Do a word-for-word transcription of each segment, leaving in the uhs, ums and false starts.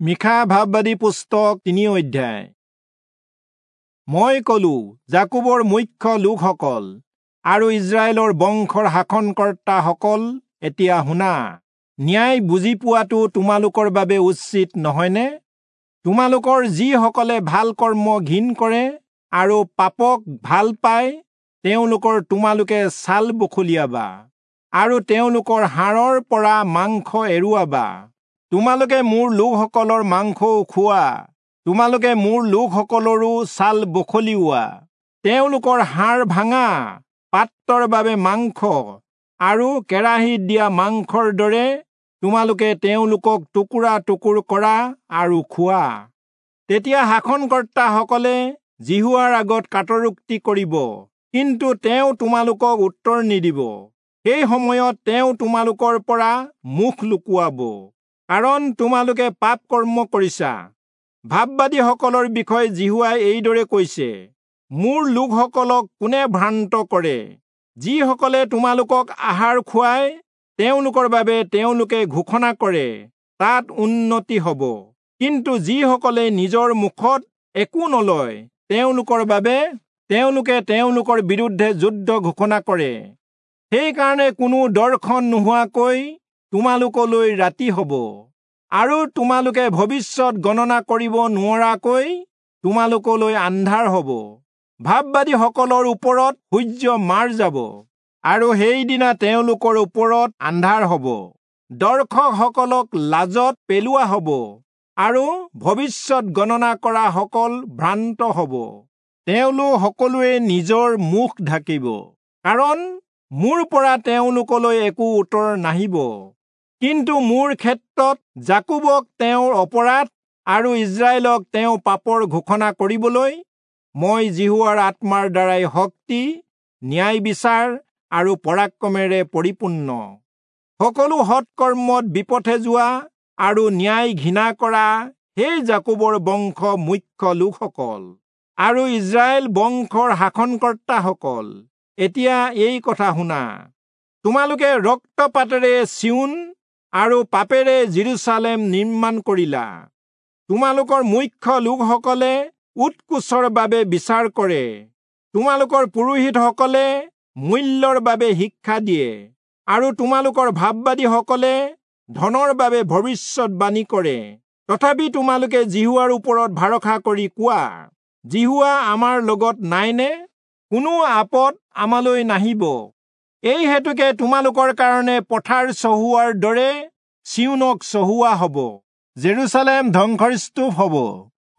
মীখা ভাববাদী পুস্তক তিনি অধ্যায়। মই কলো, যাকোবৰ মুখ্য লোকসকল আৰু ইস্ৰায়েলৰ বংশৰ শাসনকৰ্তাসকল, এতিয়া শুনা, ন্যায় বুজি পোৱাটো তোমালোকৰ বাবে উচিত নহয়নে? তোমালোকৰ যিসকলে ভাল কৰ্ম ঘিণ কৰে আৰু পাপক ভাল পায়, তেওঁলোকৰ তোমালোকে ছাল বখলিয়াবা আৰু তেওঁলোকৰ হাড়ৰ পৰা মাংস এৰুৱাবা। তোমালোকে মোৰ লোকসকলৰ মাংসও খোৱা, তোমালোকে মোৰ লোকসকলৰো ছাল বখলিওৱা, তেওঁলোকৰ হাড় ভাঙা পাত্ৰৰ বাবে মাংস আৰু কেৰাহীত দিয়া মাংসৰ দৰে তোমালোকে তেওঁলোকক টুকুৰা টুকুৰ কৰা আৰু খোৱা। তেতিয়া শাসনকৰ্তাসকলে যিহোৱাৰ আগত কাতৰোক্তি কৰিব, কিন্তু তেওঁ তোমালোকক উত্তৰ নিদিব। সেই সময়ত তেওঁ তোমালোকৰ পৰা মুখ লুকুৱাব, কাৰণ তোমালোকে পাপ কৰ্ম কৰিছা। ভাববাদীসকলৰ বিষয়ে যিহোৱাই এইদৰে কৈছে, মোৰ লোকসকলক কোনে ভ্ৰান্ত কৰে? যিসকলে তোমালোকক আহাৰ খুৱায়, তেওঁলোকৰ বাবে তেওঁলোকে ঘোষণা কৰে, তাত উন্নতি হ'ব। কিন্তু যিসকলে নিজৰ মুখত একো নলয়, তেওঁলোকৰ বাবে তেওঁলোকে তেওঁলোকৰ বিৰুদ্ধে যুদ্ধ ঘোষণা কৰে। সেইকাৰণে কোনো দৰ্শন নোহোৱাকৈ তোমালোকলৈ ৰাতি হ'ব, আৰু তোমালোকে ভৱিষ্যত গণনা কৰিব নোৱাৰাকৈ তোমালোকলৈ আন্ধাৰ হ'ব। ভাববাদীসকলৰ ওপৰত সূৰ্য মাৰ যাব, আৰু সেইদিনা তেওঁলোকৰ ওপৰত আন্ধাৰ হ'ব। দৰ্শকসকলক লাজত পেলোৱা হ'ব, আৰু ভৱিষ্যত গণনা কৰা সকল ভ্ৰান্ত হ'ব। তেওঁলোক সকলোৱে নিজৰ মুখ ঢাকিব, কাৰণ মোৰ পৰা তেওঁলোকলৈ একো উত্তৰ নাহিব। কিন্তু মোৰ ক্ষেত্ৰত যাকোবক তেওঁৰ অপৰাধ আৰু ইস্ৰায়েলক তেওঁ পাপৰ ঘোষণা কৰিবলৈ মই যিহোৱাৰ আত্মাৰ দ্বাৰাই শক্তি, ন্যায় বিচাৰ আৰু পৰাক্ৰমেৰে পৰিপূৰ্ণ। সকলো সৎকৰ্মত বিপথে যোৱা আৰু ন্যায় ঘৃণা কৰা সেই যাকোবৰ বংশ মুখ্য লোকসকল আৰু ইস্ৰায়েল বংশৰ শাসনকৰ্তাসকল, এতিয়া এই কথা শুনা। তোমালোকে ৰক্তপাতেৰে চিয়োন আৰু পাপেৰে যিৰূচালেম নিৰ্মাণ কৰিলা। তোমালোকৰ মুখ্য লোকসকলে উৎকোচৰ বাবে বিচাৰ কৰে, তোমালোকৰ পুৰোহিতসকলে মূল্যৰ বাবে শিক্ষা দিয়ে, আৰু তোমালোকৰ ভাববাদীসকলে ধনৰ বাবে ভৱিষ্যতবাণী কৰে। তথাপি তোমালোকে যিহোৱাৰ ওপৰত ভৰসা কৰি কোৱা, যিহোৱা আমাৰ লগত নাইনে? কোনো আপদ আমালৈ নাহিব। এই হেতুকে তোমালোকৰ কাৰণে পথাৰ চহোৱাৰ দৰে চিয়োনক চহোৱা হ'ব, জেৰুচালেম ধ্বংসস্তূপ হ'ব,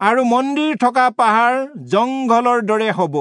আৰু মন্দিৰ থকা পাহাৰ জংঘলৰ দৰে হ'ব।